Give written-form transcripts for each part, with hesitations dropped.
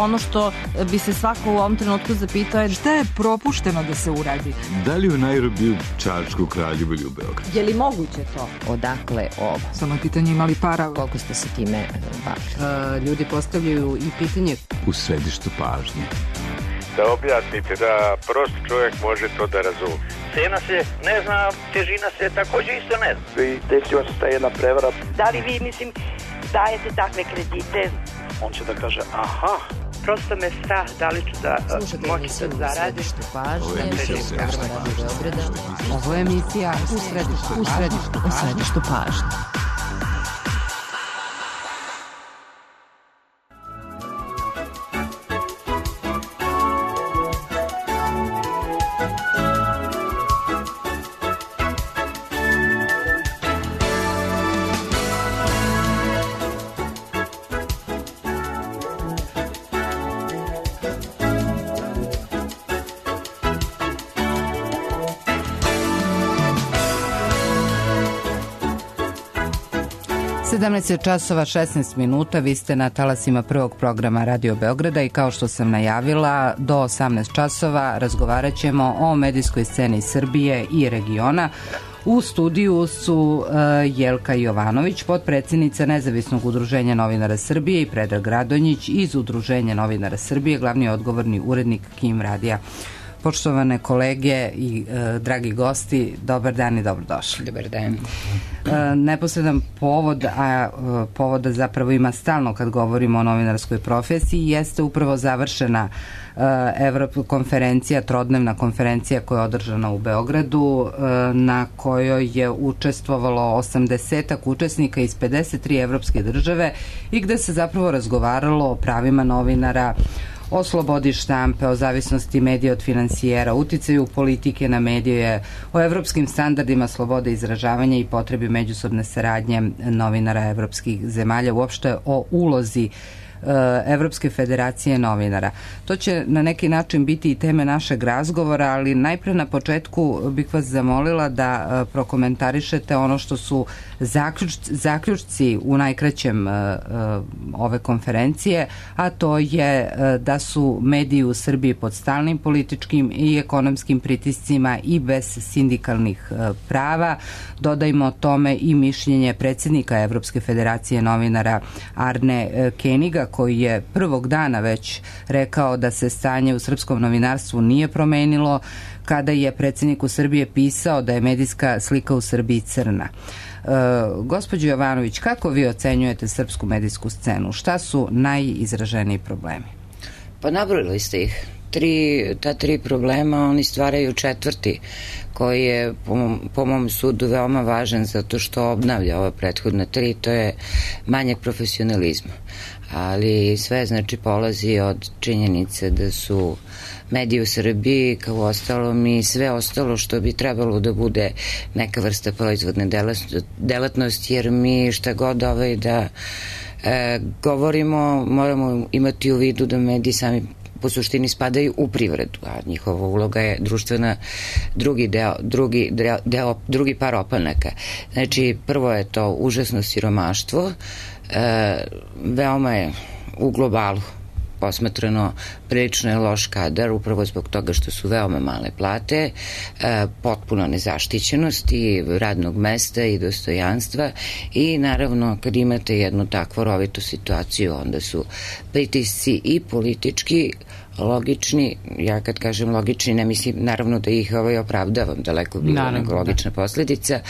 ono što bi se svako u ovom trenutku zapitao je šta je propušteno da se uradi. Da li u Nairobiju, Čačku, Kraljevu ili u Beogradu? Je li moguće to? Odakle ovo? Samo je pitanje imali para. Koliko ste se time bavili? Ljudi postavljaju i pitanje. U središtu pažnje. Da objasnite, da prost čovjek može to da razume. Cena se ne zna, težina se takođe isto ne zna. I desila se ta jedna prevara. Da li vi, mislim, dajete takve kredite? On će da kaže, aha. Prosto me strah da li ću da moći da zaradim. Ovo je emisija u središtu pažnje. Časova 16 minuta, vi ste na talasima prvog programa Radio Beograda i kao što sam najavila, do 18 časova razgovarat ćemo o medijskoj sceni Srbije i regiona. U studiju su Jelka Jovanović, potpredsjednica Nezavisnog udruženja novinara Srbije, i Predrag Radonjić iz Udruženja novinara Srbije, glavni odgovorni urednik KIM radija. Poštovane kolege i dragi gosti, dobar dan i dobrodošli. Dobar dan. Neposredan povod, a povoda zapravo ima stalno kad govorimo o novinarskoj profesiji, jeste upravo završena konferencija, trodnevna konferencija koja je održana u Beogradu, na kojoj je učestvovalo 80 učesnika iz 53 evropske države i gde se zapravo razgovaralo o pravima novinara, o slobodi štampe, o zavisnosti medija od finansijera, uticaju politike na medije, o evropskim standardima slobode izražavanja i potrebi međusobne saradnje novinara evropskih zemalja, uopšte o ulozi Evropske federacije novinara. To će na neki način biti i teme našeg razgovora, ali najpre na početku bih vas zamolila da prokomentarišete ono što su zaključci u najkraćem ove konferencije, a to je da su mediji u Srbiji pod stalnim političkim i ekonomskim pritiscima i bez sindikalnih prava. Dodajmo tome i mišljenje predsjednika Evropske federacije novinara Arne Keniga, koji je prvog dana već rekao da se stanje u srpskom novinarstvu nije promenilo, kada je predsjedniku Srbije pisao da je medijska slika u Srbiji crna. Gospođo Jovanović, kako vi ocenjujete srpsku medijsku scenu? Šta su najizraženiji problemi? Pa nabrojili ste ih. Ta tri problema, oni stvaraju četvrti, koji je po mom sudu veoma važan zato što obnavlja ova prethodna tri, to je manjak profesionalizma. Ali sve znači polazi od činjenice da su mediji u Srbiji, kao ostalom i sve ostalo što bi trebalo da bude neka vrsta proizvodne delatnosti, jer mi šta god da govorimo, moramo imati u vidu da mediji sami po suštini spadaju u privredu, a njihova uloga je društvena, drugi par opanaka. Znači, prvo je to užasno siromaštvo, veoma je u globalu posmatrano prilično je loš kadar, upravo zbog toga što su veoma male plate, potpuno nezaštićenost i radnog mesta i dostojanstva, i naravno kad imate jednu takvu rovitu situaciju, onda su pritisci i politički, logični, ja kad kažem logični ne mislim naravno da ih opravdavam, daleko bilo nego logična posledica,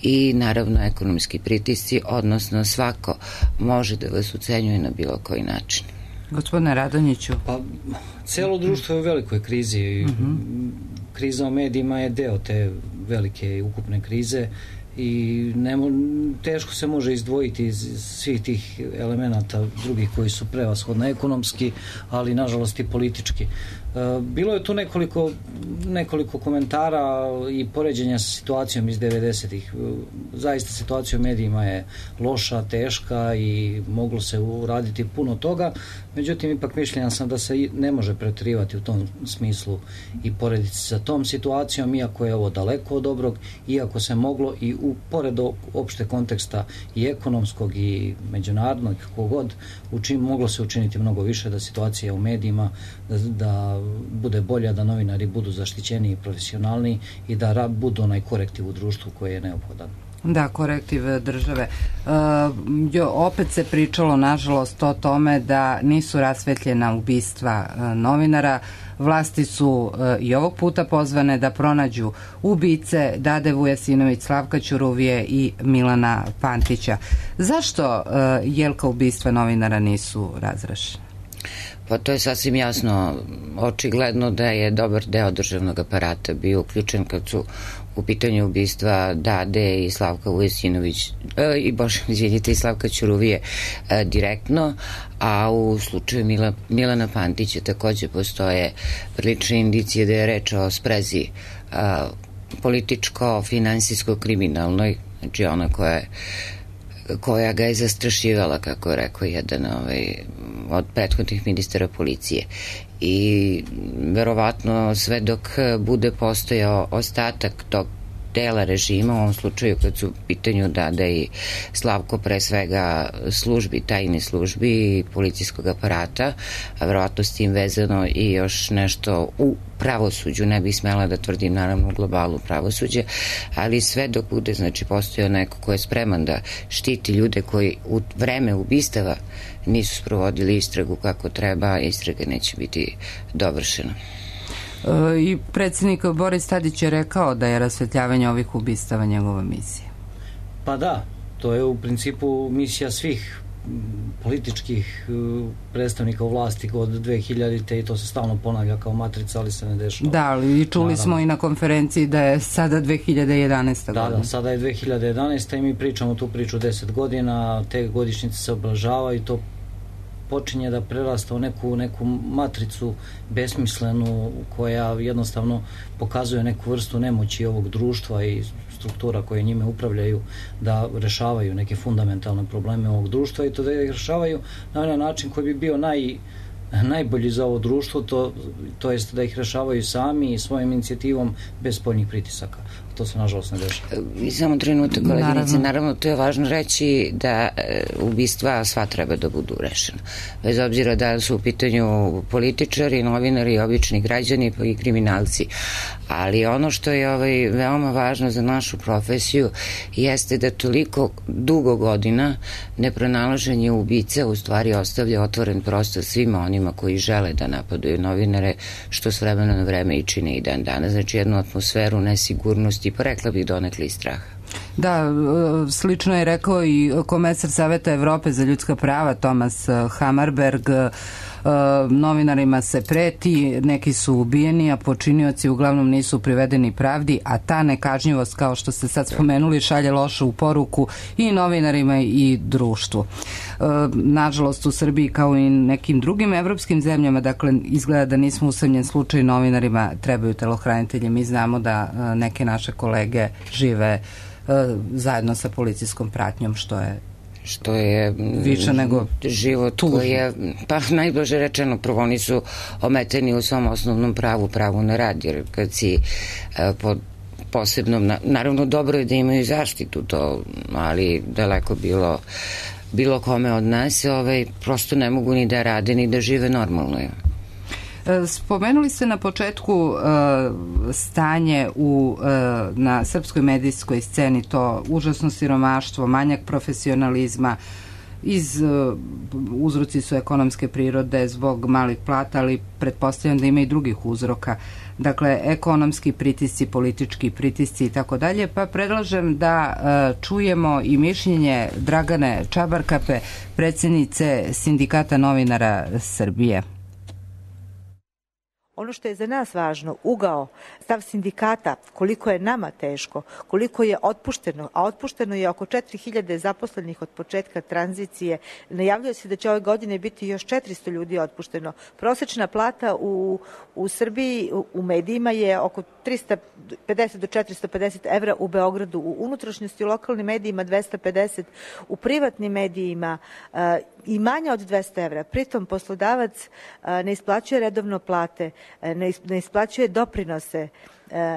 i naravno ekonomski pritisci, odnosno svako može da vas ucenjuje na bilo koji način. Gospodine Radonjiću. Pa, celo društvo je u velikoj krizi. Kriza o medijima je deo te velike i ukupne krize i teško se može izdvojiti iz svih tih elemenata drugih koji su prevashodno ekonomski, ali nažalost i politički. Bilo je tu nekoliko komentara i poređenja sa situacijom iz 90-ih. Zaista situacija u medijima je loša, teška i moglo se uraditi puno toga, međutim ipak mišljenja sam da se ne može preterivati u tom smislu i porediti sa tom situacijom, iako je ovo daleko od dobrog, iako se moglo i pored opšte konteksta i ekonomskog i međunarodnog, kako god, moglo se učiniti mnogo više da situacija u medijima da bude bolja, da novinari budu zaštićeni i profesionalni i da budu onaj korektiv u društvu koji je neophodan. Da, korektiv države. Opet se pričalo, nažalost, o tome da nisu rasvetljena ubistva novinara. Vlasti su i ovog puta pozvane da pronađu ubice Dade Vujasinović, Slavka Ćuruvije i Milana Pantića. Zašto, Jelka, ubistva novinara nisu razrešena? Pa to je sasvim jasno, očigledno da je dobar deo državnog aparata bio uključen kad su u pitanju ubistva Dade i Slavka Vujasinović i Slavka Ćuruvije direktno, a u slučaju Milana Pantića takođe postoje prilične indicije da je reč o sprezi političko-finansijsko-kriminalnoj, znači ona koja ga je zastrašivala, kako je rekao jedan od prethodnih ministara policije. I verovatno sve dok bude postojao ostatak tog dela režima, u ovom slučaju kad su u pitanju Dada i Slavko, pre svega tajne službi i policijskog aparata, a verovatno s tim vezano i još nešto u pravosuđu, ne bih smela da tvrdim naravno u globalu pravosuđe, ali sve dok bude, znači, postojao neko ko je spreman da štiti ljude koji u vreme ubistava nisu sprovodili istragu kako treba, istraga neće biti dovršena. I predsjednik Boris Tadić je rekao da je rasvetljavanje ovih ubistava njegova misija. Pa da, to je u principu misija svih političkih predstavnika u vlasti od 2000-te i to se stalno ponavlja kao matrica, ali se ne dešava. Da, ali i čuli smo i na konferenciji da je sada 2011. godina. Da, sada je 2011. i mi pričamo tu priču 10 godina, te godišnjice se obeležavaju i to počinje da prerasta u neku matricu besmislenu koja jednostavno pokazuje neku vrstu nemoći ovog društva i struktura koje njime upravljaju da rešavaju neke fundamentalne probleme ovog društva i to da ih rešavaju na onaj način koji bi bio najbolji za ovo društvo, to jest da ih rešavaju sami i svojim inicijativom bez spoljnih pritisaka. To se nažalost ne dešava. I samo trenutak, koleginice, naravno to je važno reći da ubistva sva treba da budu rešena. Bez obzira da su u pitanju političari, novinari, obični građani pa i kriminalci. Ali ono što je veoma važno za našu profesiju jeste da toliko dugo godina nepronalaženje ubice u stvari ostavlja otvoren prostor svima onima koji žele da napadaju novinare, što s vremena na vreme i čine i dan danas. Znači jednu atmosferu nesigurnosti, pa rekla bih donekle i straha. Da, slično je rekao i komesar Saveta Evrope za ljudska prava Thomas Hammarberg. Novinarima se preti, neki su ubijeni, a počinioci uglavnom nisu privedeni pravdi, a ta nekažnjivost, kao što ste sad spomenuli, šalje lošu poruku i novinarima i društvu. Nažalost, u Srbiji kao i nekim drugim evropskim zemljama, dakle, izgleda da nismo usamljen slučaj, novinarima trebaju telohranitelji. Mi znamo da neke naše kolege žive zajedno sa policijskom pratnjom, što je više nego život koji je, pa najblaže rečeno, prvo oni su ometeni u svom osnovnom pravu na rad, jer kad si pod posebnom, naravno dobro je da imaju zaštitu to, ali daleko bilo kome od nas prosto ne mogu ni da rade ni da žive normalno. Spomenuli ste na početku stanje na srpskoj medijskoj sceni, to užasno siromaštvo, manjak profesionalizma, uzroci su ekonomske prirode zbog malih plata, ali pretpostavljam da ima i drugih uzroka. Dakle, ekonomski pritisci, politički pritisci i tako dalje, pa predlažem da čujemo i mišljenje Dragane Čabarkape, predsjednice Sindikata novinara Srbije. Ono što je za nas važno, ugao, stav sindikata, koliko je nama teško, koliko je otpušteno, a otpušteno je oko 4000 zaposlenih od početka tranzicije. Najavljuje se da će ove godine biti još 400 ljudi otpušteno. Prosečna plata u Srbiji, u medijima je oko 350 do 450 evra u Beogradu, u unutrašnjosti, u lokalnim medijima 250, u privatnim medijima i manje od 200 evra. Pritom poslodavac ne isplaćuje redovno plate, ne isplaćuje doprinose,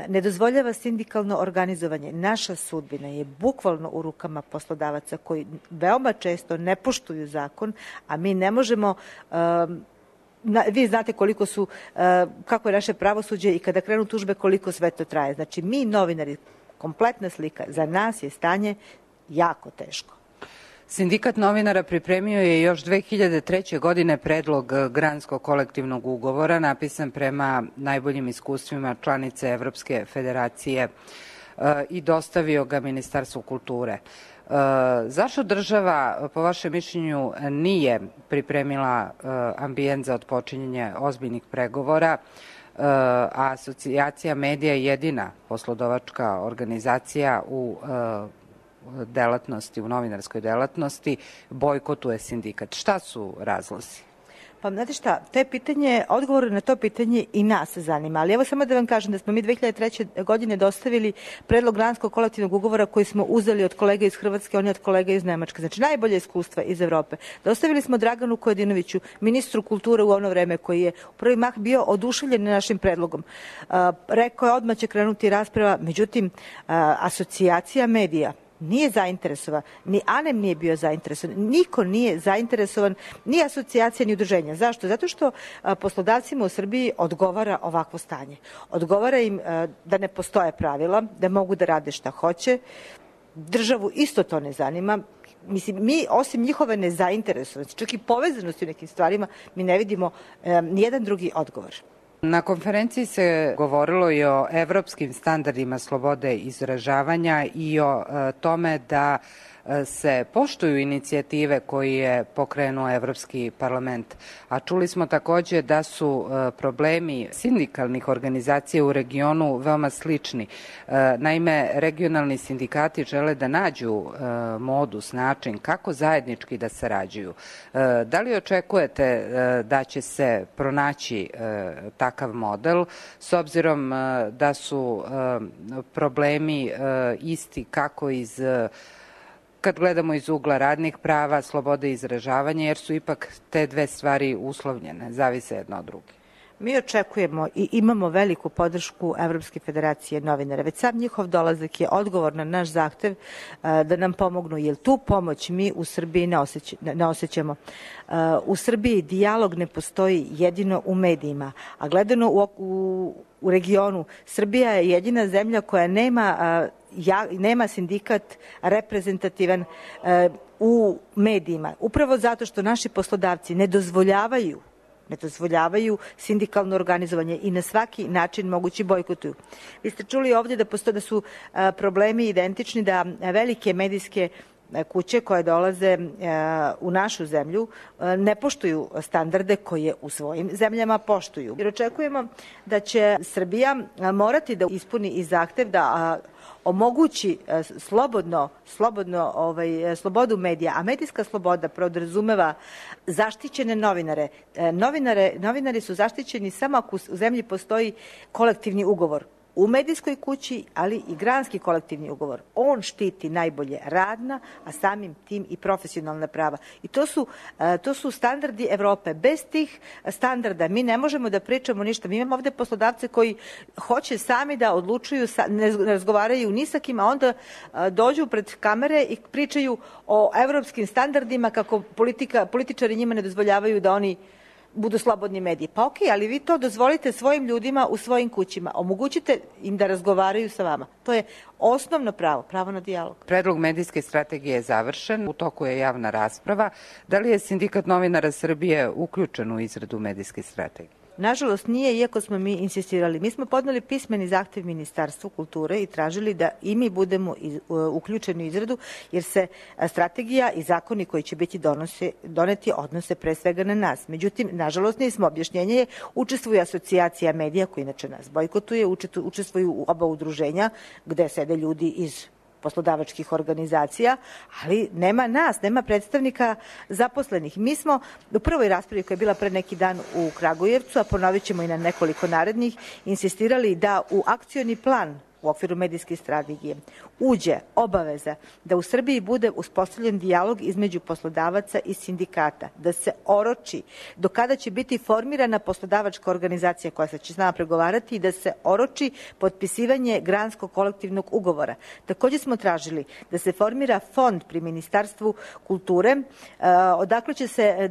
ne dozvoljava sindikalno organizovanje. Naša sudbina je bukvalno u rukama poslodavaca koji veoma često ne poštuju zakon, a mi ne možemo... Vi znate kako je naše pravosuđe i kada krenu tužbe koliko sve to traje. Znači mi novinari, kompletna slika, za nas je stanje jako teško. Sindikat novinara pripremio je još 2003. godine predlog granskog kolektivnog ugovora napisan prema najboljim iskustvima članice Evropske federacije i dostavio ga Ministarstvu kulture. Zašto država, po vašem mišljenju, nije pripremila ambijent za otpočinjanje ozbiljnih pregovora, a Asocijacija medija je jedina poslodavačka organizacija u delatnosti, u novinarskoj delatnosti, bojkotuje sindikat? Šta su razlozi? Pa, znate šta, odgovor na to pitanje i nas zanima, ali evo samo da vam kažem da smo mi 2003. godine dostavili predlog granskog kolektivnog ugovora koji smo uzeli od kolega iz Hrvatske, oni od kolega iz Nemačke, znači najbolje iskustva iz Evrope. Dostavili smo Draganu Kojadinoviću, ministru kulture u ono vreme, koji je u prvi mah bio oduševljen našim predlogom. Rekao je odmah će krenuti rasprava, međutim, Asocijacija medija nije zainteresovan, ni ANEM nije bio zainteresovan, niko nije zainteresovan, ni asocijacija, ni udruženja. Zašto? Zato što poslodavcima u Srbiji odgovara ovakvo stanje. Odgovara im da ne postoje pravila, da mogu da rade šta hoće. Državu isto to ne zanima. Mislim, mi osim njihove nezainteresovanosti, čak i povezanosti u nekim stvarima, mi ne vidimo nijedan drugi odgovor. Na konferenciji se govorilo i o evropskim standardima slobode izražavanja i o tome da se poštuju inicijative koje je pokrenuo Evropski parlament. A čuli smo takođe da su problemi sindikalnih organizacija u regionu veoma slični. Naime, regionalni sindikati žele da nađu modus, način kako zajednički da sarađuju. Da li očekujete da će se pronaći takav model, s obzirom da su problemi isti kako kad gledamo iz ugla radnih prava, slobode izražavanja, jer su ipak te dve stvari uslovljene, zavise jedna od druge. Mi očekujemo i imamo veliku podršku Evropske federacije novinara. Već sam njihov dolazak je odgovor na naš zahtev da nam pomognu, jer tu pomoć mi u Srbiji ne osjećamo. U Srbiji dijalog ne postoji jedino u medijima, a gledano u regionu, Srbija je jedina zemlja koja nema sindikat reprezentativan u medijima. Upravo zato što naši poslodavci ne dozvoljavaju sindikalno organizovanje i na svaki način mogući bojkotuju. Vi ste čuli ovdje da su problemi identični, da velike medijske kuće koje dolaze u našu zemlju ne poštuju standarde koje u svojim zemljama poštuju. Jer očekujemo da će Srbija morati da ispuni i zahtev da omogući slobodu medija, a medijska sloboda podrazumeva zaštićene novinare. Novinari su zaštićeni samo ako u zemlji postoji kolektivni ugovor. U medijskoj kući, ali i granski kolektivni ugovor. On štiti najbolje radna, a samim tim i profesionalna prava. I to su standardi Evrope. Bez tih standarda mi ne možemo da pričamo ništa. Mi imamo ovde poslodavce koji hoće sami da odlučuju, ne razgovaraju ni sa kim, a onda dođu pred kamere i pričaju o evropskim standardima kako političari njima ne dozvoljavaju da oni budu slobodni mediji. Pa okej, ali vi to dozvolite svojim ljudima u svojim kućima. Omogućite im da razgovaraju sa vama. To je osnovno pravo na dijalog. Predlog medijske strategije je završen, u toku je javna rasprava. Da li je Sindikat novinara Srbije uključen u izradu medijske strategije? Nažalost nije, iako smo mi insistirali. Mi smo podneli pismeni zahtev Ministarstvu kulture i tražili da i mi budemo uključeni u izradu, jer se strategija i zakoni koji će biti doneti odnose pre svega na nas. Međutim, nažalost nismo. Objašnjenje je, učestvuje asocijacija medija koji inače nas bojkotuje, učestvuju oba udruženja gde sede ljudi iz poslodavačkih organizacija, ali nema nas, nema predstavnika zaposlenih. Mi smo u prvoj raspravi koja je bila pre neki dan u Kragujevcu, a ponovit ćemo i na nekoliko narednih, insistirali da u akcioni plan u okviru medijske strategije uđe obaveza da u Srbiji bude uspostavljen dijalog između poslodavaca i sindikata, da se oroči do kada će biti formirana poslodavačka organizacija koja će s nama pregovarati i da se oroči potpisivanje granskog kolektivnog ugovora. Takođe smo tražili da se formira fond pri Ministarstvu kulture, odakle će se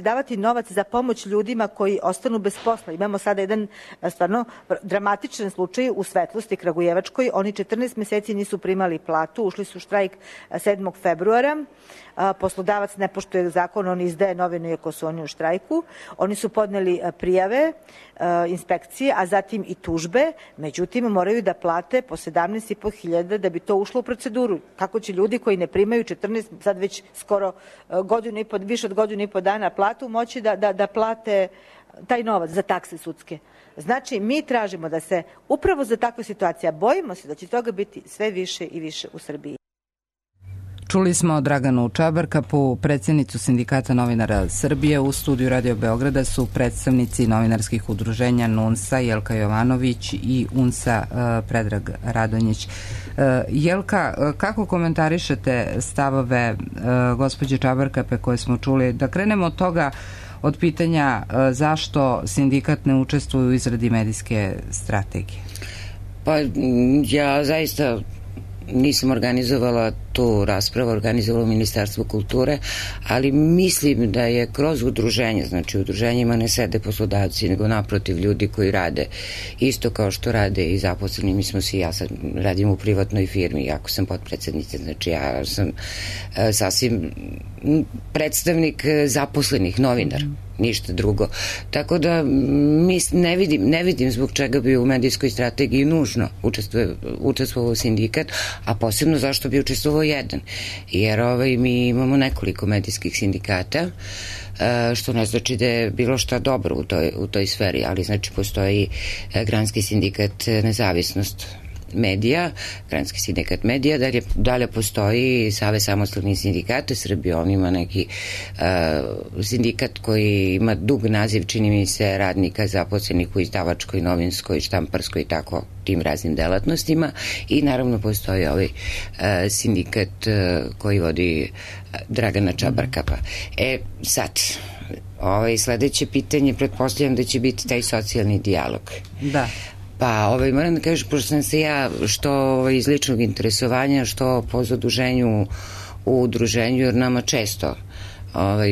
davati novac za pomoć ljudima koji ostanu bez posla. Imamo sada jedan stvarno dramatičan slučaj u Svetlosti Kragujevačkoj. Oni 14 meseci nisu primali platu, ušli su u štrajk 7. februara. Poslodavac ne poštuje zakon, on izdaje novine iako su oni u štrajku. Oni su podneli prijave inspekcije, a zatim i tužbe, međutim moraju da plate po 17.500 da bi to ušlo u proceduru. Kako će ljudi koji ne primaju 14, sad već skoro više od godinu i po dana platu, moći da plate taj novac za takse sudske? Znači, mi tražimo da se upravo za takve situacije, bojimo se da će toga biti sve više i više u Srbiji. Čuli smo Draganu Čabarkapu, predsjednicu Sindikata novinara Srbije. U studiju Radio Beograda su predstavnici novinarskih udruženja NUNS-a, Jelka Jovanović i UNS-a Predrag Radonjić. Jelka, kako komentarišete stavove gospođe Čabarkape koje smo čuli? Da krenemo od toga, od pitanja zašto sindikat ne učestvuje u izradi medijske strategije? Pa ja zaista nisam organizovala tu raspravu, organizovala Ministarstvo kulture, ali mislim da je kroz udruženje, znači u udruženjima ne sede poslodavci, nego naprotiv ljudi koji rade isto kao što rade i zaposleni. Mi smo ja sad radim u privatnoj firmi, jako sam potpredsednica, znači ja sam sasvim predstavnik zaposlenih, novinar, ništa drugo. Tako da ne vidim zbog čega bi u medijskoj strategiji nužno učestvovao sindikat, a posebno zašto bi učestvovao jedan. Jer mi imamo nekoliko medijskih sindikata, što ne znači da je bilo šta dobro u toj sferi, ali znači postoji Granski sindikat Nezavisnost medija, Granski sindikat medija, dalje postoji Savez samostalnih sindikata Srbije, on ima neki sindikat koji ima dug naziv, čini mi se, radnika zaposlenih u izdavačkoj, novinskoj, štamparskoj i tako tim raznim delatnostima, i naravno postoji ovaj sindikat koji vodi Dragana Čabarkapa. Sad, sledeće pitanje, pretpostavljam da će biti taj socijalni dijalog. Da. Pa, moram da kažem, pošto sam se ja što iz ličnog interesovanja, što po zaduženju u udruženju, jer nama često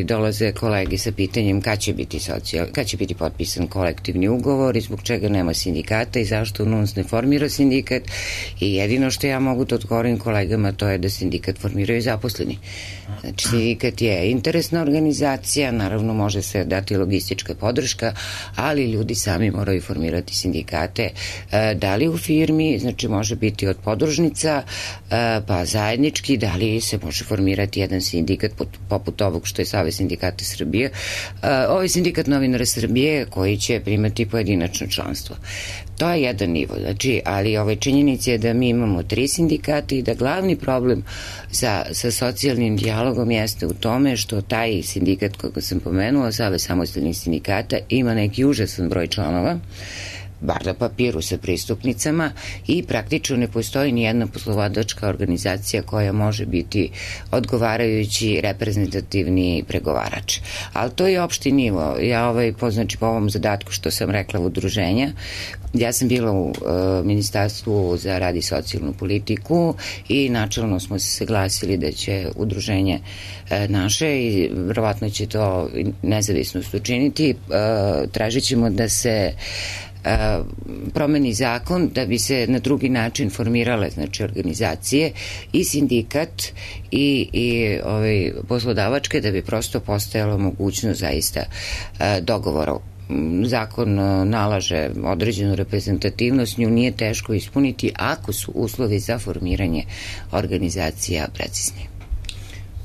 dolaze kolegi sa pitanjem kad će biti potpisan kolektivni ugovor i zbog čega nema sindikata i zašto NUNS ne formira sindikat, i jedino što ja mogu da odgovorim kolegama to je da sindikat formiraju zaposleni. Znači, sindikat je interesna organizacija, naravno može se dati logistička podrška, ali ljudi sami moraju formirati sindikate, da li u firmi, znači može biti od podružnica, pa zajednički, da li se može formirati jedan sindikat poput ovog što je Savez sindikata Srbije, ovaj sindikat novinara Srbije koji će primati pojedinačno članstvo. To je jedan nivo, znači, ali činjenica je da mi imamo 3 sindikata i da glavni problem sa socijalnim dijalogom jeste u tome što taj sindikat koga sam pomenula, Savez samostalnih sindikata, ima neki užasan broj članova, bar na papiru sa pristupnicama, i praktično ne postoji ni jedna poslovodačka organizacija koja može biti odgovarajući reprezentativni pregovarač. Ali to je opšti nivo. Ja po ovom zadatku što sam rekla udruženja, ja sam bila u Ministarstvu za rad i socijalnu politiku i načelno smo se saglasili da će udruženje naše, i verovatno će to nezavisnost učiniti, tražit ćemo da se promeni zakon da bi se na drugi način formirale, znači, organizacije i sindikat i poslodavačke, da bi prosto postojala mogućnost zaista dogovora zakon nalaže određenu reprezentativnost, nju nije teško ispuniti ako su uslovi za formiranje organizacija precizni.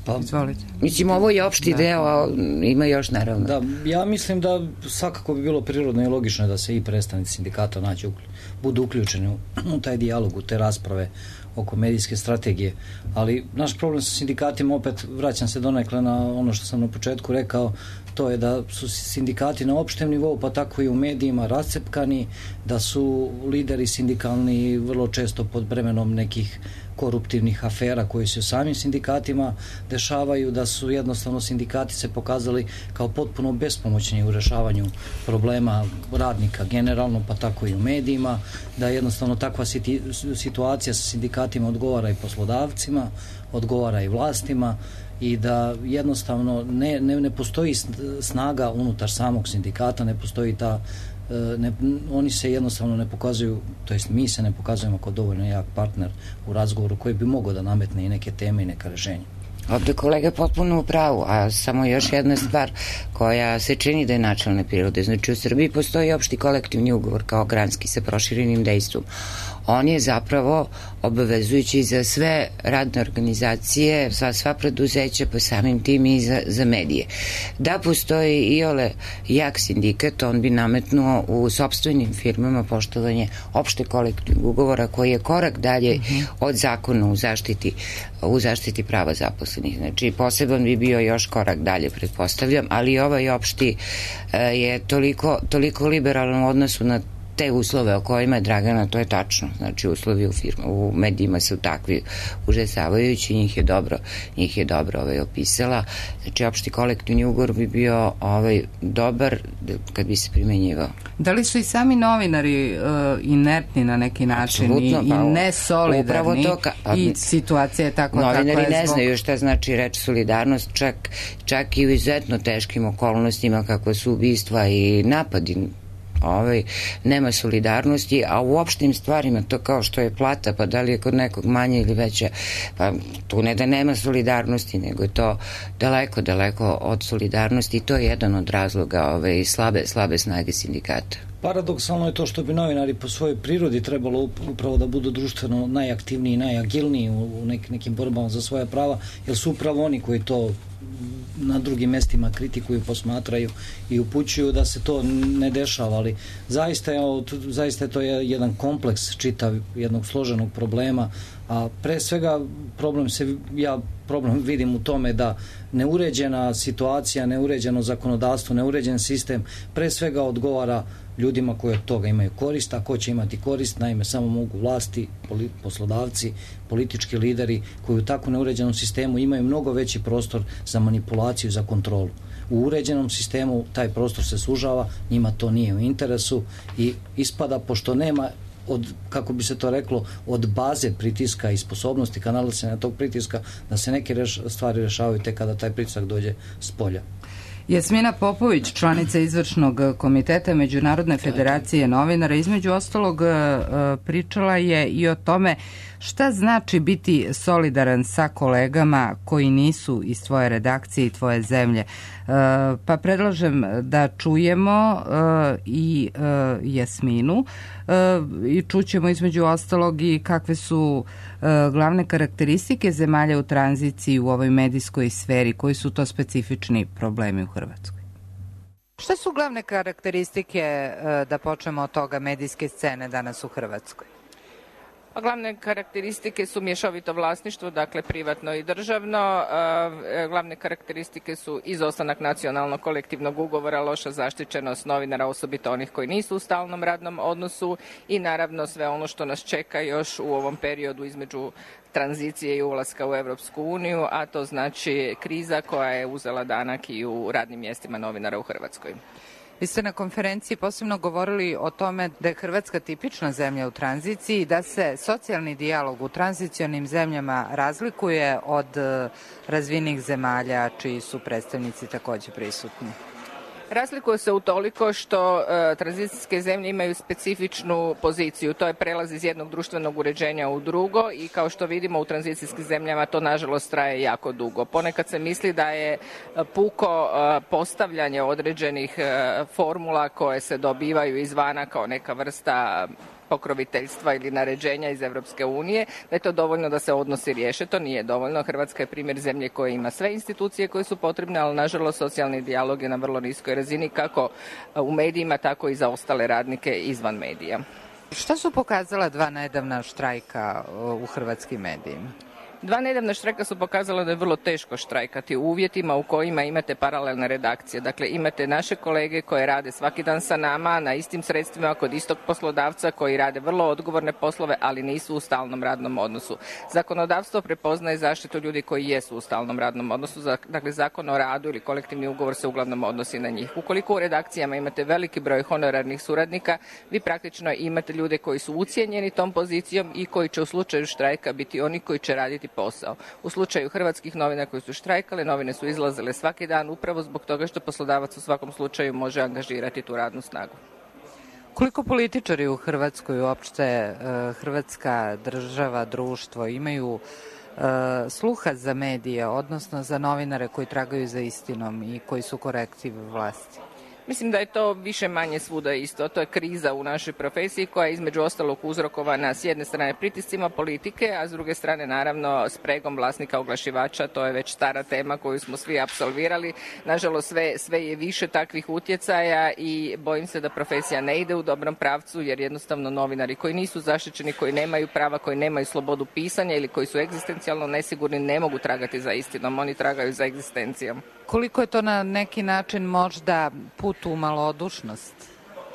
Pa, izvolite. Mislim, ovo je opšti deo, a ima još naravno. Da, ja mislim da svakako bi bilo prirodno i logično da se i predstavnici sindikata budu uključeni u taj dijalog, u te rasprave oko medijske strategije, ali naš problem sa sindikatima, opet vraćam se donekle na ono što sam na početku rekao, to je da su sindikati na opštem nivou, pa tako i u medijima rascepkani, da su lideri sindikalni vrlo često pod bremenom nekih koruptivnih afera koji se u samim sindikatima dešavaju, da su jednostavno sindikati se pokazali kao potpuno bespomoćni u rešavanju problema radnika generalno, pa tako i u medijima, da jednostavno takva situacija sa sindikatima odgovara i poslodavcima, odgovara i vlastima, i da jednostavno ne postoji snaga unutar samog sindikata, ne postoji oni se jednostavno ne pokazuju, to jest mi se ne pokazujemo kao dovoljno jak partner u razgovoru koji bi mogao da nametne i neke teme i neka rešenja. Ovde kolega je potpuno u pravu, a samo još jedna stvar koja se čini da je načelne prirode. Znači u Srbiji postoji opšti kolektivni ugovor kao granski sa proširenim dejstvom. On je zapravo obavezujući za sve radne organizacije, sva preduzeća, pa samim tim i za medije. Da postoji iole jak sindikat, on bi nametnuo u sopstvenim firmama poštovanje opšte kolektivnog ugovora koji je korak dalje od zakona u zaštiti prava zaposlenih. Znači poseban bi bio još korak dalje, pretpostavljam, ali ovaj opšti je toliko liberalan u odnosu na te uslove o kojima je Dragana, to je tačno. Znači uslovi u medijima su takvi užasavajući, njih je dobro opisala. Znači opšti kolektivni ugovor bi bio dobar kad bi se primenjivao. Da li su i sami novinari inertni na neki način i nesolidarni i situacija je tako kakva je zbog... Novinari ne znaju šta znači reč solidarnost, čak i u izuzetno teškim okolnostima kako su ubistva i napadi. Nema solidarnosti, a u opštim stvarima, to kao što je plata, pa da li je kod nekog manje ili veća, pa tu ne da nema solidarnosti, nego je to daleko od solidarnosti i to je jedan od razloga slabe snage sindikata. Paradoksalno je to što bi novinari po svojoj prirodi trebalo upravo da budu društveno najaktivniji i najagilniji u nekim borbama za svoja prava, jer su upravo oni koji to na drugim mestima kritikuju, posmatraju i upućuju da se to ne dešava, ali zaista je to jedan kompleks čitav jednog složenog problema, a pre svega problem vidim u tome da neuređena situacija, neuređeno zakonodavstvo, neuređen sistem pre svega odgovara ljudima koji od toga imaju korist, a ko će imati korist, naime samo mogu vlasti, poslodavci, politički lideri koji u tako neuređenom sistemu imaju mnogo veći prostor za manipulaciju, za kontrolu. U uređenom sistemu taj prostor se sužava, njima to nije u interesu i ispada, pošto nema kako bi se to reklo, od baze pritiska i sposobnosti kanalisanja tog pritiska, da se neke stvari rešavaju tek kada taj pritisak dođe s polja. Jasmina Popović, članica izvršnog komiteta Međunarodne federacije novinara, između ostalog pričala je i o tome šta znači biti solidaran sa kolegama koji nisu iz tvoje redakcije i tvoje zemlje. Pa predlažem da čujemo i Jasminu i čućemo između ostalog i kakve su glavne karakteristike zemalja u tranziciji u ovoj medijskoj sferi, koji su to specifični problemi u Hrvatskoj. Šta su glavne karakteristike, da počnemo od toga, medijske scene danas u Hrvatskoj? Glavne karakteristike su mješovito vlasništvo, dakle privatno i državno. Glavne karakteristike su izostanak nacionalnog kolektivnog ugovora, loša zaštićenost novinara, osobito onih koji nisu u stalnom radnom odnosu i naravno sve ono što nas čeka još u ovom periodu između tranzicije i ulaska u Europsku uniju, a to znači kriza koja je uzela danak i u radnim mjestima novinara u Hrvatskoj. Vi ste na konferenciji posebno govorili o tome da je Hrvatska tipična zemlja u tranziciji i da se socijalni dijalog u tranzicionim zemljama razlikuje od razvijenih zemalja čiji su predstavnici takođe prisutni. Razlikuje se utoliko što tranzicijske zemlje imaju specifičnu poziciju. To je prelaz iz jednog društvenog uređenja u drugo i kao što vidimo u tranzicijskim zemljama to nažalost traje jako dugo. Ponekad se misli da je puko postavljanje određenih formula koje se dobivaju izvana kao neka vrsta pokroviteljstva ili naređenja iz Evropske unije, da je to dovoljno da se odnosi riješe. To nije dovoljno. Hrvatska je primjer zemlje koja ima sve institucije koje su potrebne, ali nažalost socijalni dijalog je na vrlo niskoj razini kako u medijima, tako i za ostale radnike izvan medija. Šta su pokazala 2 nedavna štrajka u hrvatskim medijima? 2 nedavna štrajka su pokazala da je vrlo teško štrajkati u uvjetima u kojima imate paralelne redakcije. Dakle, imate naše kolege koje rade svaki dan sa nama na istim sredstvima kod istog poslodavca koji rade vrlo odgovorne poslove, ali nisu u stalnom radnom odnosu. Zakonodavstvo prepoznaje zaštitu ljudi koji jesu u stalnom radnom odnosu. Dakle, zakon o radu ili kolektivni ugovor se uglavnom odnosi na njih. Ukoliko u redakcijama imate veliki broj honorarnih suradnika, vi praktično imate ljude koji su ucijenjeni tom pozicijom i koji će u slučaju štrajka biti oni koji će raditi posao. U slučaju hrvatskih novina koji su štrajkale, novine su izlazile svaki dan upravo zbog toga što poslodavac u svakom slučaju može angažirati tu radnu snagu. Koliko političari u Hrvatskoj, uopšte hrvatska država, društvo, imaju sluha za medije, odnosno za novinare koji tragaju za istinom i koji su korektiv vlasti? Mislim da je to više manje svuda isto. To je kriza u našoj profesiji koja je između ostalog uzrokovana s jedne strane pritiscima politike, a s druge strane naravno spregom vlasnika oglašivača. To je već stara tema koju smo svi apsolvirali. Nažalost sve je više takvih utjecaja i bojim se da profesija ne ide u dobrom pravcu jer jednostavno novinari koji nisu zaštićeni, koji nemaju prava, koji nemaju slobodu pisanja ili koji su egzistencijalno nesigurni ne mogu tragati za istinom. Oni tragaju za egzistencijom. Koliko je to na neki način možda put u malodušnost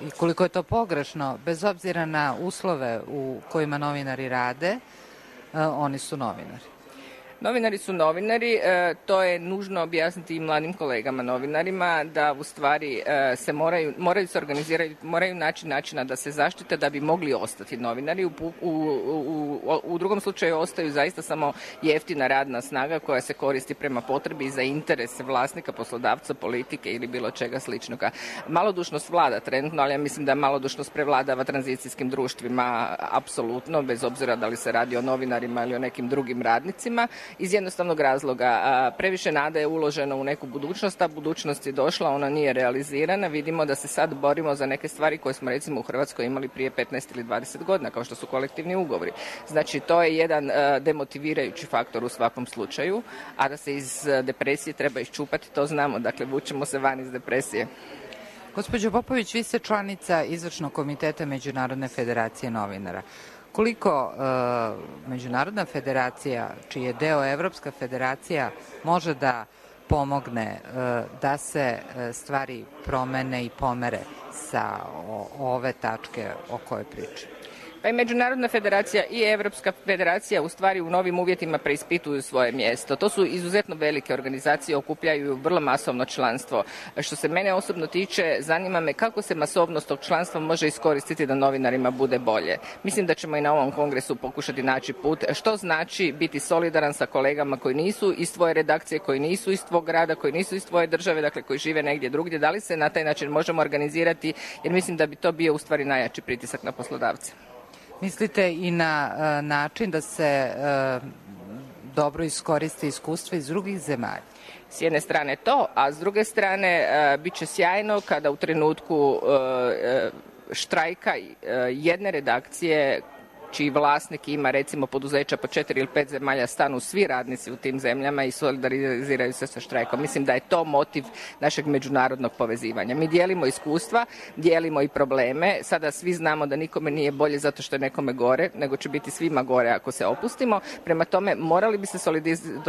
i koliko je to pogrešno, bez obzira na uslove u kojima novinari rade, oni su novinari. Novinari su novinari, to je nužno objasniti i mladim kolegama novinarima da u stvari se moraju se organizirati, moraju naći načina da se zaštite da bi mogli ostati novinari. U drugom slučaju ostaju zaista samo jeftina radna snaga koja se koristi prema potrebi za interese vlasnika, poslodavca, politike ili bilo čega sličnog. Malodušnost vlada trenutno, ali ja mislim da malodušnost prevladava tranzicijskim društvima apsolutno, bez obzira da li se radi o novinarima ili o nekim drugim radnicima. Iz jednostavnog razloga. Previše nade je uloženo u neku budućnost, a budućnost je došla, ona nije realizirana. Vidimo da se sad borimo za neke stvari koje smo recimo u Hrvatskoj imali prije 15 ili 20 godina, kao što su kolektivni ugovori. Znači, to je jedan demotivirajući faktor u svakom slučaju, a da se iz depresije treba iščupati, to znamo. Dakle, vučemo se van iz depresije. Gospođo Popović, vi ste članica Izvršnog komiteta Međunarodne federacije novinara. Koliko Međunarodna federacija, čiji je deo Evropska federacija, može da pomogne da se stvari promene i pomere sa ove tačke o kojoj pričam? Pa i Međunarodna federacija i Evropska federacija u stvari u novim uvjetima preispituju svoje mjesto. To su izuzetno velike organizacije, okupljaju vrlo masovno članstvo. Što se mene osobno tiče, zanima me kako se masovnost tog članstva može iskoristiti da novinarima bude bolje. Mislim da ćemo i na ovom kongresu pokušati naći put. Što znači biti solidaran sa kolegama koji nisu iz tvoje redakcije, koji nisu iz tvog grada, koji nisu iz tvoje države, dakle koji žive negdje drugdje. Da li se na taj način možemo organizirati, jer mislim da bi to bio u stvari najjači pritisak na poslodavce. Mislite i na način da se dobro iskoriste iskustva iz drugih zemalja? S jedne strane to, a s druge strane bit će sjajno kada u trenutku štrajka jedne redakcije čiji vlasnik ima recimo poduzeća po 4 ili 5 zemalja, stanu svi radnici u tim zemljama i solidariziraju se sa štrajkom. Mislim da je to motiv našeg međunarodnog povezivanja. Mi dijelimo iskustva, dijelimo i probleme. Sada svi znamo da nikome nije bolje zato što je nekome gore, nego će biti svima gore ako se opustimo. Prema tome, morali bi se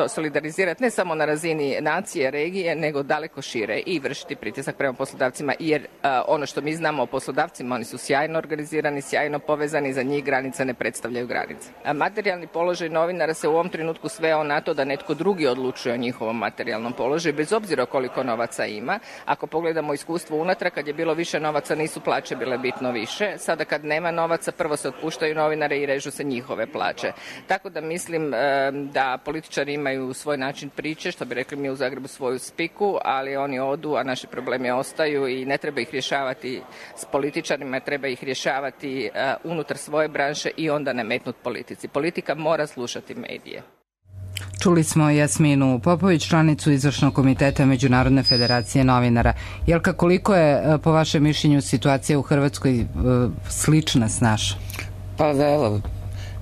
solidarizirati ne samo na razini nacije, regije, nego daleko šire i vršiti pritisak prema poslodavcima, jer ono što mi znamo o poslodavcima, oni su sjajno organizirani, sjajno povezani, za njih granica ne predstavljaju granice. A materijalni položaj novinara se u ovom trenutku sveo na to da netko drugi odlučuje o njihovom materijalnom položaju, bez obzira koliko novaca ima. Ako pogledamo iskustvo unatrag, kad je bilo više novaca, nisu plaće bile bitno više. Sada kad nema novaca, prvo se otpuštaju novinare i režu se njihove plaće. Tako da mislim da političari imaju svoj način priče, što bi rekli mi u Zagrebu svoju spiku, ali oni odu, a naši problemi ostaju i ne treba ih rješavati s političarima, treba ih rješavati unutar svoje branše i onda nametnut politici. Politika mora slušati medije. Čuli smo Jasminu Popović, članicu izvršnog komiteta Međunarodne federacije novinara. Jelka, koliko je po vašem mišljenju situacija u Hrvatskoj slična s našom? Pa evo,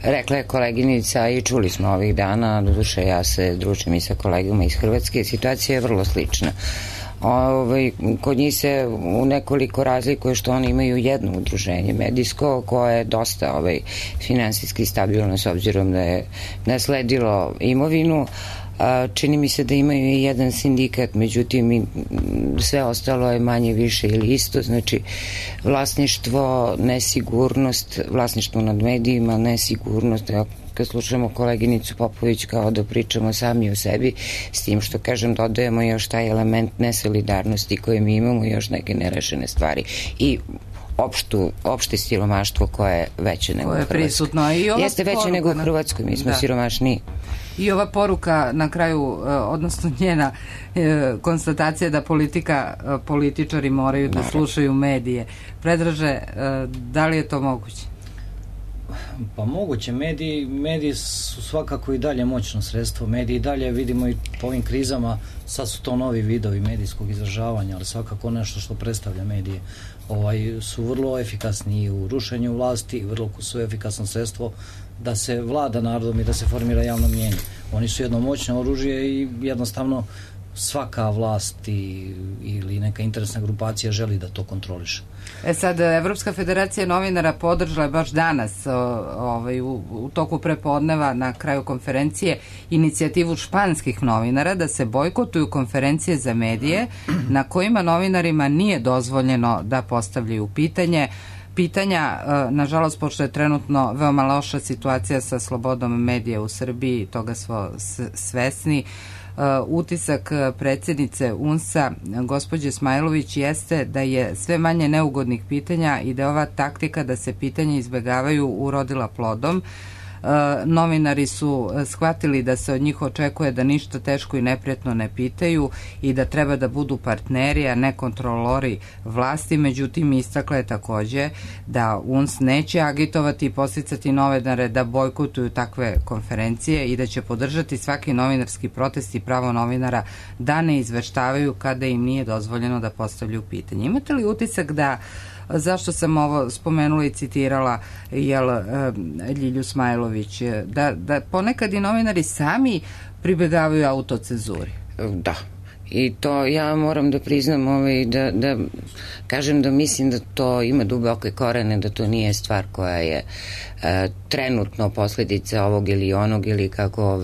rekla je koleginica i čuli smo ovih dana, doduše ja se družim i sa kolegama iz Hrvatske, situacija je vrlo slična. Kod njih se u nekoliko razlikuje što oni imaju jedno udruženje medijsko koje je dosta finansijski stabilno s obzirom da je nasledilo imovinu. Čini mi se da imaju i jedan sindikat, međutim sve ostalo je manje više ili isto, znači vlasništvo, nesigurnost, vlasništvo nad medijima, nesigurnost. Kad slušamo koleginicu Popović kao da pričamo sami o sebi, s tim što kažem dodajemo još taj element nesolidarnosti koje mi imamo i još neke nerešene stvari i opšte siromaštvo koje je veće nego u Hrvatskoj. Prisutno. Jeste veće nego u Hrvatskoj, mi smo siromašniji. I ova poruka na kraju, odnosno njena konstatacija da političari moraju da slušaju medije. Predraže, da li je to moguće? Pa moguće, mediji su svakako i dalje moćno sredstvo, mediji i dalje vidimo i po ovim krizama, sad su to novi vidovi medijskog izražavanja, ali svakako nešto što predstavlja medije, su vrlo efikasni u rušenju vlasti, vrlo su efikasno sredstvo da se vlada narodom i da se formira javno mnjenje. Oni su jedno moćno oružje i jednostavno svaka vlast ili neka interesna grupacija želi da to kontroliše. Sad, Evropska federacija novinara podržala je baš danas u toku prepodneva na kraju konferencije inicijativu španskih novinara da se bojkotuju konferencije za medije na kojima novinarima nije dozvoljeno da postavljaju pitanja, nažalost, pošto je trenutno veoma loša situacija sa slobodom medija u Srbiji, toga smo svesni. Utisak predsjednice UNS-a, gospođe Smajlović, jeste da je sve manje neugodnih pitanja i da je ova taktika da se pitanja izbegavaju urodila plodom. Novinari su shvatili da se od njih očekuje da ništa teško i neprijatno ne pitaju i da treba da budu partneri, a ne kontrolori vlasti. Međutim, istakla je takođe da UNS neće agitovati i podsticati novinare da bojkotuju takve konferencije i da će podržati svaki novinarski protest i pravo novinara da ne izveštavaju kada im nije dozvoljeno da postavljaju pitanje. Imate li utisak da, zašto sam ovo spomenula i citirala Ljilju Smajlović, da ponekad i novinari sami pribegavaju autocenzuri? Da. I to ja moram da priznam da kažem da mislim da to ima duboke korene, da to nije stvar koja je trenutno posljedica ovog ili onog ili kako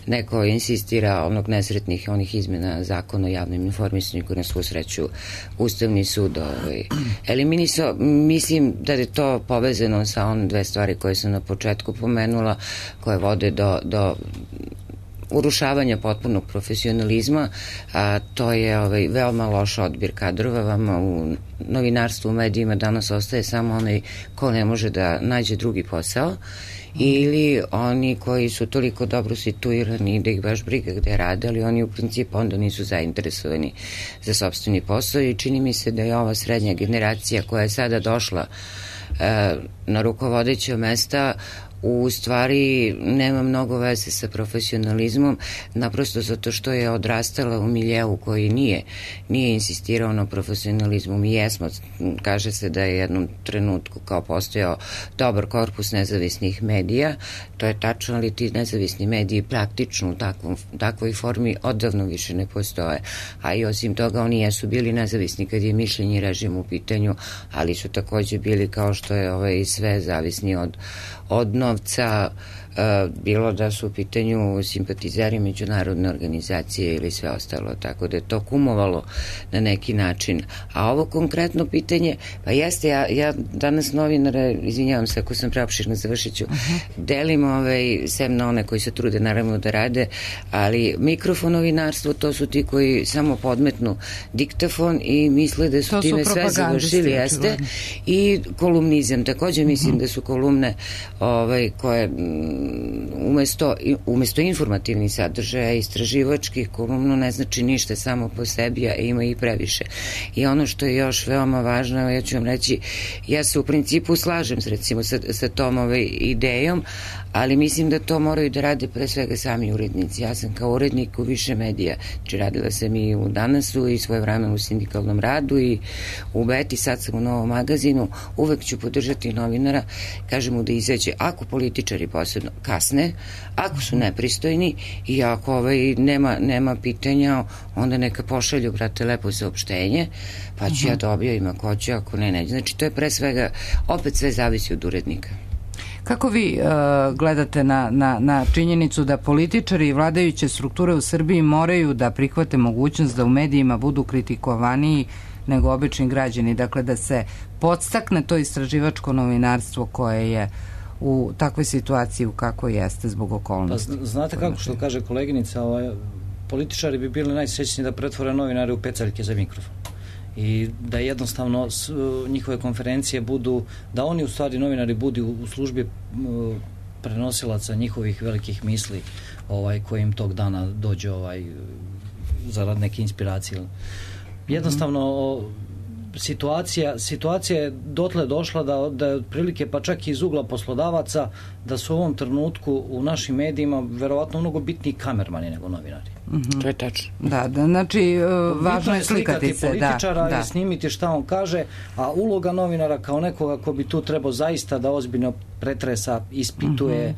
neko insistira onog nesretnih onih izmena zakona o javnom informisanju koji na svu sreću Ustavni sud eliminisao. Mislim da je to povezano sa one dve stvari koje sam na početku pomenula, koje vode do urušavanja potpunog profesionalizma, a to je veoma loš odbir kadrova. Vama u novinarstvu, u medijima danas ostaje samo onaj ko ne može da nađe drugi posao ili oni koji su toliko dobro situirani da ih baš briga gde rade, ali oni u principu onda nisu zainteresovani za sopstveni posao i čini mi se da je ova srednja generacija koja je sada došla na rukovodeća mesta u stvari nema mnogo veze sa profesionalizmom, naprosto zato što je odrastala u miljeu koji nije insistirao na profesionalizmu. Mi jesmo, kaže se da je jednom trenutku kao postojao dobar korpus nezavisnih medija, to je tačno, ali ti nezavisni mediji praktično u takvoj formi odavno više ne postoje, a i osim toga oni jesu bili nezavisni kad je mišljenje i režim u pitanju, ali su takođe bili kao što je sve zavisni od novca, bilo da su u pitanju simpatizeri međunarodne organizacije ili sve ostalo, tako da je to kumovalo na neki način. A ovo konkretno pitanje, pa jeste, ja danas novinare, izvinjavam se ako sam preopširna, završit ću, delim sem na one koji se trude naravno da rade, ali mikrofonovinarstvo, to su ti koji samo podmetnu diktafon i misle da su time sve završili, jeste, i kolumnizam. Takođe mislim da su kolumne koje umesto informativnih sadržaja, istraživačkih, kolumnu ne znači ništa samo po sebi, a ima i previše. I ono što je još veoma važno, ja ću vam reći, ja se u principu slažem recimo sa tom idejom, ali mislim da to moraju da rade pre svega sami urednici. Ja sam kao urednik u više medija, znači radila sam i u Danasu i svoje vremena u sindikalnom radu i u Beti, sad sam u Novom magazinu, uvek ću podržati novinara, kažem mu da izađe, ako političari posebno kasne, ako su nepristojni i ako nema pitanja, onda neka pošalju, brate, lepo saopštenje, pa ću ja da objavim ako ću, ako ne. Znači to je pre svega, opet sve zavisi od urednika. Kako vi gledate na činjenicu da političari i vladajuće strukture u Srbiji moraju da prihvate mogućnost da u medijima budu kritikovaniji nego obični građani, dakle da se podstakne to istraživačko novinarstvo koje je u takvoj situaciji u kakvoj jeste zbog okolnosti? Pa, znate kako što kaže koleginica, političari bi bili najsrećniji da pretvore novinare u pecaljke za mikrofon i da jednostavno njihove konferencije budu, da oni u stvari novinari budu u službi prenosilaca njihovih velikih misli koji im tog dana dođe zarad neke inspiracije. Jednostavno situacija je dotle došla da je otprilike pa čak i iz ugla poslodavaca da su u ovom trenutku u našim medijima verovatno mnogo bitniji kamermani nego novinari. To je tačno. Da, znači važno je slikati se. Političara i snimiti šta on kaže, a uloga novinara kao nekoga ko bi tu trebao zaista da ozbiljno pretresa, ispituje,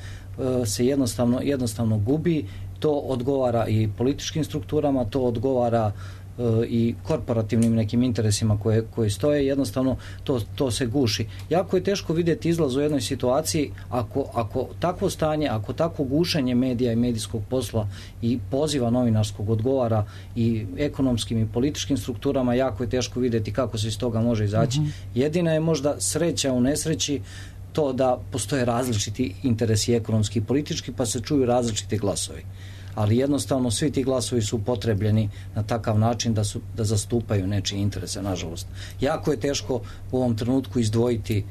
se jednostavno gubi. To odgovara i političkim strukturama, to odgovara i korporativnim nekim interesima koji stoje, jednostavno to se guši. Jako je teško vidjeti izlaz u jednoj situaciji ako takvo stanje, ako takvo gušenje medija i medijskog posla i poziva novinarskog odgovara i ekonomskim i političkim strukturama, jako je teško vidjeti kako se iz toga može izaći. Jedina je možda sreća u nesreći to da postoje različiti interesi ekonomski i politički, pa se čuju različiti glasovi. Ali jednostavno svi ti glasovi su upotrebljeni na takav način da zastupaju nečije interese, nažalost. Jako je teško u ovom trenutku izdvojiti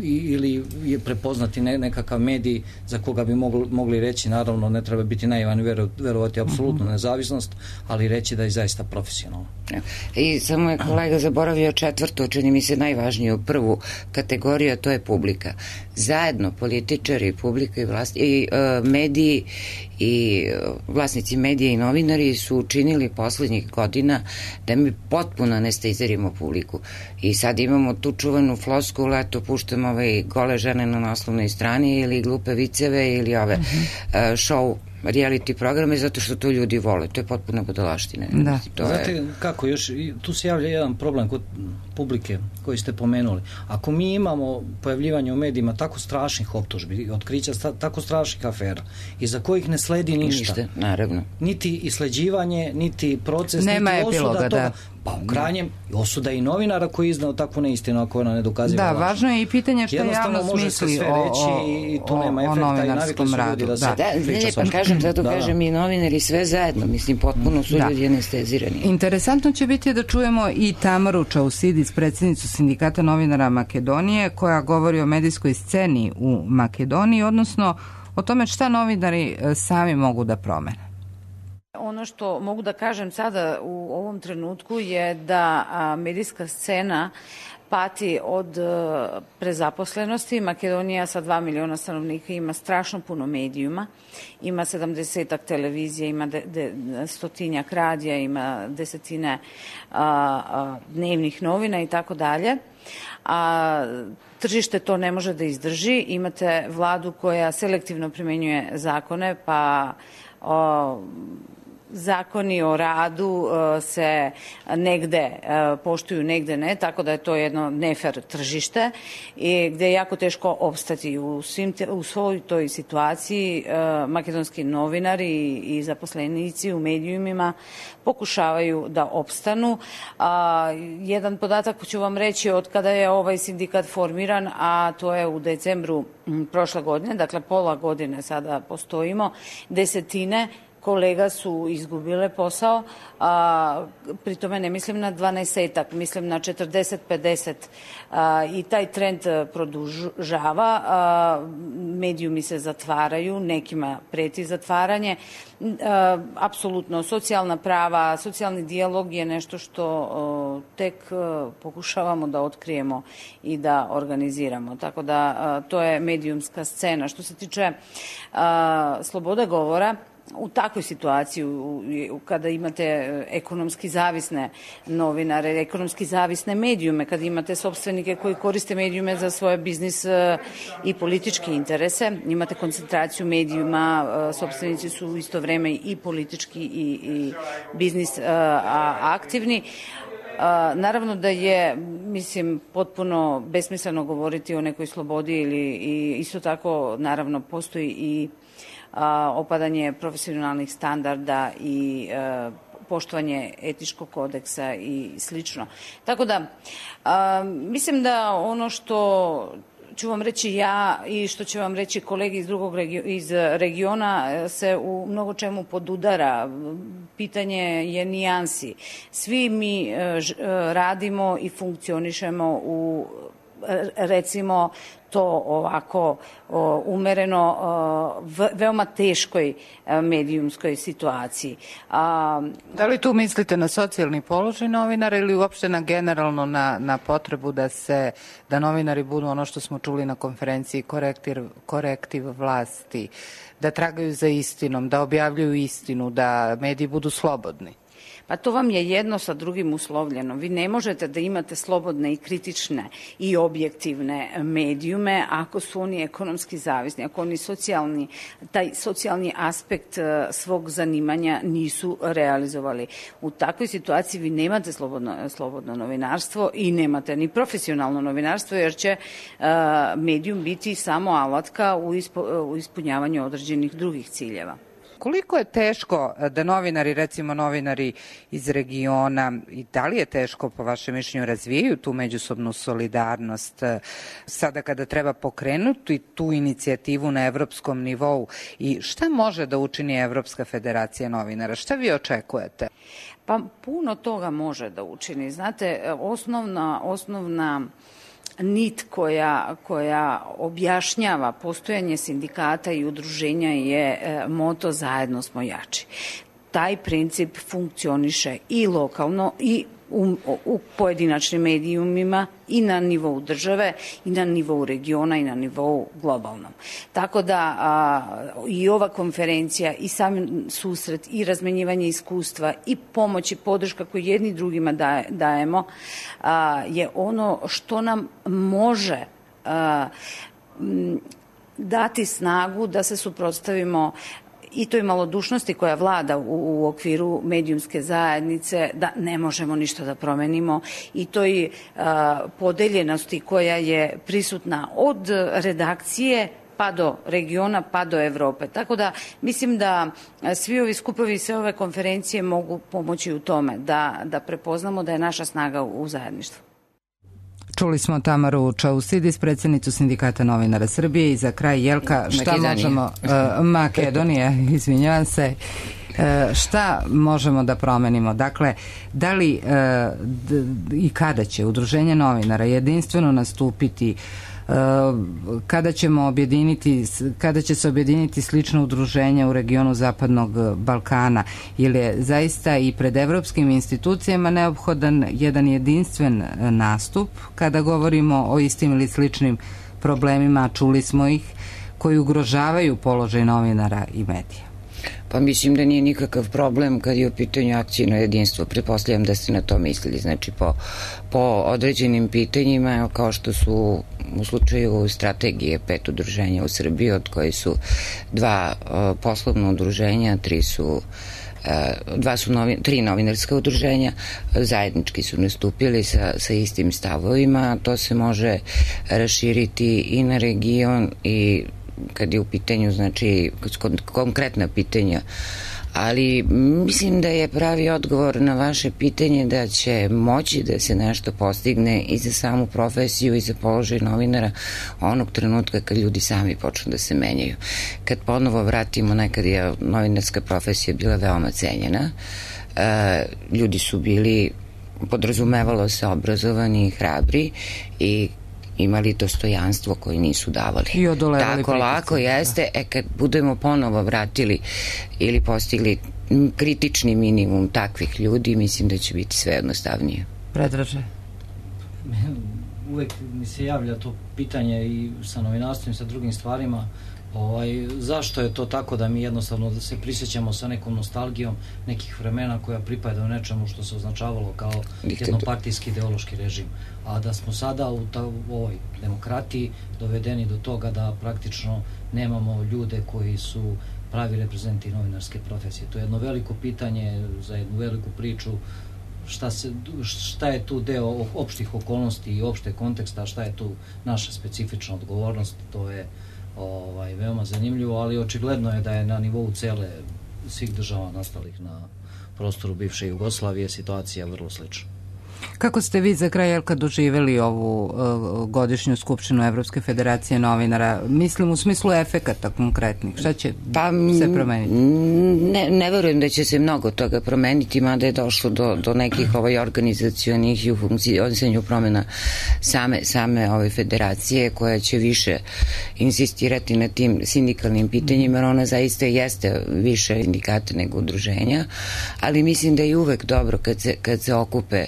ili je prepoznati nekakav medij za koga bi mogli reći, naravno ne treba biti naivan i verovati apsolutnu nezavisnost, ali reći da je zaista profesionalno. I samo je kolega zaboravio četvrto, čini mi se najvažniju prvu kategoriju, a to je publika. Zajedno političari, publika i mediji i vlasnici medija i novinari su učinili poslednjih godina da mi potpuno anestezirimo publiku. I sad imamo tu čuvenu floskulu, eto puštamo gole žene na naslovnoj strani ili glupe viceve ili ove show reality programe zato što to ljudi vole. To je potpuno budalaština. Znate kako, još tu se javlja jedan problem kod publike koji ste pomenuli. Ako mi imamo pojavljivanje u medijima tako strašnih optužbi, otkrića tako strašnih afera, iza kojih ne sledi ništa. Naravno. Niti isleđivanje, niti proces, nema niti osuda epiloga, toga. Pa u krajnjem osuda i novinara koji je iznao takvu neistinu ako ona ne dokaziva laž. Da, važno je i pitanje što javnost misli o novinarskom radu. Pa kažem, zato kažem i novinari sve zajedno, mislim, potpuno su ljudi anestezirani. Interesantno će biti da čujemo i Tamaru Čausidis, predsjednicu Sindikata novinara Makedonije, koja govori o medijskoj sceni u Makedoniji, odnosno o tome šta novinari sami mogu da promene. Ono što mogu da kažem sada u ovom trenutku je da medijska scena pati od prezaposlenosti. Makedonija sa 2 miliona stanovnika ima strašno puno medijuma, ima 70 televizija, ima 100 radija, ima 10 dnevnih novina i tako dalje. Tržište to ne može da izdrži. Imate vladu koja selektivno primenjuje zakone, pa zakoni o radu se negde poštuju, negde ne, tako da je to jedno nefer tržište i gde je jako teško opstati. U svoj toj situaciji makedonski novinari i zaposlenici u medijumima pokušavaju da opstanu. Jedan podatak ću vam reći od kada je ovaj sindikat formiran, a to je u decembru prošle godine, dakle pola godine sada postojimo, desetine kolega su izgubile posao, pri tome ne mislim na 12-etak, mislim na 40-50 i taj trend produžava, medijumi se zatvaraju, nekima preti zatvaranje. Apsolutno, socijalna prava, socijalni dijalog je nešto što tek pokušavamo da otkrijemo i da organiziramo. Tako da to je medijumska scena. Što se tiče slobode govora, u takvoj situaciji kada imate ekonomski zavisne novinare, ekonomski zavisne medijume, kada imate sopstvenike koji koriste medijume za svoje biznis i političke interese, imate koncentraciju medijuma, sopstvenici su u isto vreme i politički i biznis aktivni. Naravno da je, mislim, potpuno besmisleno govoriti o nekoj slobodi i isto tako, naravno, postoji i opadanje profesionalnih standarda i poštovanje etičkog kodeksa i slično. Tako da, mislim da ono što ću vam reći ja i što će vam reći kolege iz regiona se u mnogo čemu podudara. Pitanje je nijansi. Svi mi radimo i funkcionišemo u, recimo, to ovako umereno veoma teškoj medijumskoj situaciji. Da li tu mislite na socijalni položaj novinara ili uopšte na generalno na potrebu da novinari budu ono što smo čuli na konferenciji korektiv vlasti, da tragaju za istinom, da objavljuju istinu, da mediji budu slobodni? Pa to vam je jedno sa drugim uslovljeno. Vi ne možete da imate slobodne i kritične i objektivne medijume ako su oni ekonomski zavisni, ako oni taj socijalni aspekt svog zanimanja nisu realizovali. U takvoj situaciji vi nemate slobodno novinarstvo i nemate ni profesionalno novinarstvo, jer će medijum biti samo alatka u ispunjavanju određenih drugih ciljeva. Koliko je teško da novinari, recimo novinari iz regiona, i da li je teško po vašem mišljenju razvijaju tu međusobnu solidarnost sada kada treba pokrenuti tu inicijativu na evropskom nivou i šta može da učini Evropska federacija novinara? Šta vi očekujete? Pa puno toga može da učini. Znate, osnovna nit koja objašnjava postojanje sindikata i udruženja je moto zajedno smo jači. Taj princip funkcioniše i lokalno i u pojedinačnim medijumima i na nivou države i na nivou regiona i na nivou globalnom. Tako da i ova konferencija i sam susret i razmenjivanje iskustva i pomoć i podrška koju jedni drugima dajemo je ono što nam može dati snagu da se suprotstavimo i toj malodušnosti koja vlada u okviru medijumske zajednice, da ne možemo ništa da promenimo, i toj podeljenosti koja je prisutna od redakcije pa do regiona, pa do Evrope. Tako da mislim da svi ovi skupovi i sve ove konferencije mogu pomoći u tome da prepoznamo da je naša snaga u zajedništvu. Čuli smo Tamaru Čausidis, predsjednicu Sindikata novinara Srbije, i za kraj Jelka, šta možemo... Makedonija, izvinjavam se. Šta možemo da promenimo? Dakle, da li i kada će Udruženje novinara jedinstveno nastupiti, kada će se objediniti slična udruženja u regionu Zapadnog Balkana, ili je zaista i pred evropskim institucijama neophodan jedan jedinstven nastup kada govorimo o istim ili sličnim problemima, čuli smo ih, koji ugrožavaju položaj novinara i medija? Pa mislim da nije nikakav problem kad je u pitanju akcijno jedinstvo. Pretpostavljam da ste na to mislili. Znači po određenim pitanjima, kao što su u slučaju strategije 5 udruženja u Srbiji, od koje su 2 poslovna udruženja, 3 su tri novinarska udruženja, zajednički su nastupili sa istim stavovima. To se može raširiti i na region i kad je u pitanju, znači, konkretna pitanja. Ali mislim da je pravi odgovor na vaše pitanje da će moći da se nešto postigne i za samu profesiju i za položaj novinara onog trenutka kad ljudi sami počnu da se menjaju. Kad ponovo vratimo, nekad je novinarska profesija bila veoma cenjena, ljudi su bili, podrazumevalo se, obrazovani i hrabri i imali dostojanstvo koje nisu davali. I odolevali tako lako jeste, kad budemo ponovo vratili ili postigli kritični minimum takvih ljudi, mislim da će biti sve jednostavnije. Predraže? Uvek mi se javlja to pitanje i sa novinarstvom i sa drugim stvarima, zašto je to tako da mi jednostavno da se prisjećamo sa nekom nostalgijom nekih vremena koja pripada u nečemu što se označavalo kao jednopartijski ideološki režim, a da smo sada u ovoj demokratiji dovedeni do toga da praktično nemamo ljude koji su pravi reprezenti novinarske profesije. To je jedno veliko pitanje za jednu veliku priču, šta je tu deo opštih okolnosti i opšte konteksta, šta je tu naša specifična odgovornost, to je veoma zanimljivo, ali očigledno je da je na nivou svih država nastalih na prostoru bivše Jugoslavije situacija vrlo slična. Kako ste vi za kraj, Jelka, doživeli ovu godišnju skupštinu Evropske federacije novinara? Mislim u smislu efekata konkretnih. Šta će se promeniti? Ne verujem da će se mnogo toga promeniti, mada je došlo do nekih organizacionih i u funkcionisanju promena same ove federacije, koja će više insistirati na tim sindikalnim pitanjima, jer ona zaista jeste više sindikata nego udruženja, ali mislim da je uvek dobro kad se okupe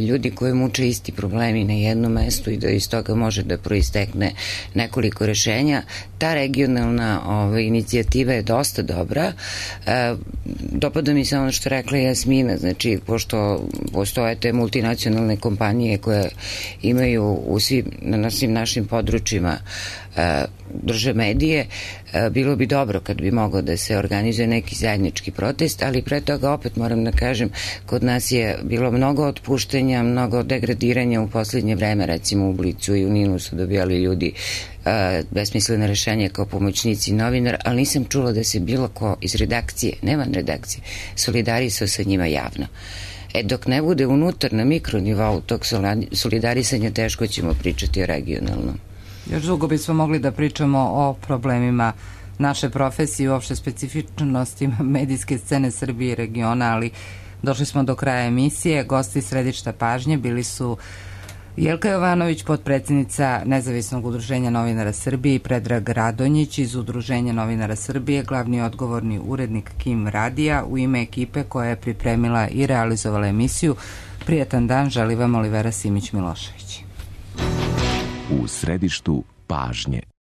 ljudi koji muče isti problemi na jednom mestu i da iz toga može da proistekne nekoliko rešenja. Ta regionalna inicijativa je dosta dobra. Dopada mi se ono što rekla Jasmina, znači, pošto postoje te multinacionalne kompanije koje imaju na svim našim područjima drže medije, bilo bi dobro kad bi mogao da se organizuje neki zajednički protest, ali pre toga opet moram da kažem, kod nas je bilo mnogo otpuštenja, mnogo degradiranja u poslednje vreme, recimo u Blicu i u Ninu su dobijali ljudi besmislene rešenja kao pomoćnici novinar, ali nisam čula da se bilo ko iz redakcije, ne van redakcije, solidarisao sa njima javno. Dok ne bude unutar na mikronivou tog solidarisanja, teško ćemo pričati o regionalnom. Još dugo bismo mogli da pričamo o problemima naše profesije i uopšte specifičnostima medijske scene Srbije i regiona, ali došli smo do kraja emisije. Gosti središta pažnje bili su Jelka Jovanović, potpredsednica Nezavisnog udruženja novinara Srbije, i Predrag Radonjić iz Udruženja novinara Srbije, glavni odgovorni urednik KIM radija. U ime ekipe koja je pripremila i realizovala emisiju, prijatan dan želi vam Olivera Simić-Milošević. U središtu pažnje.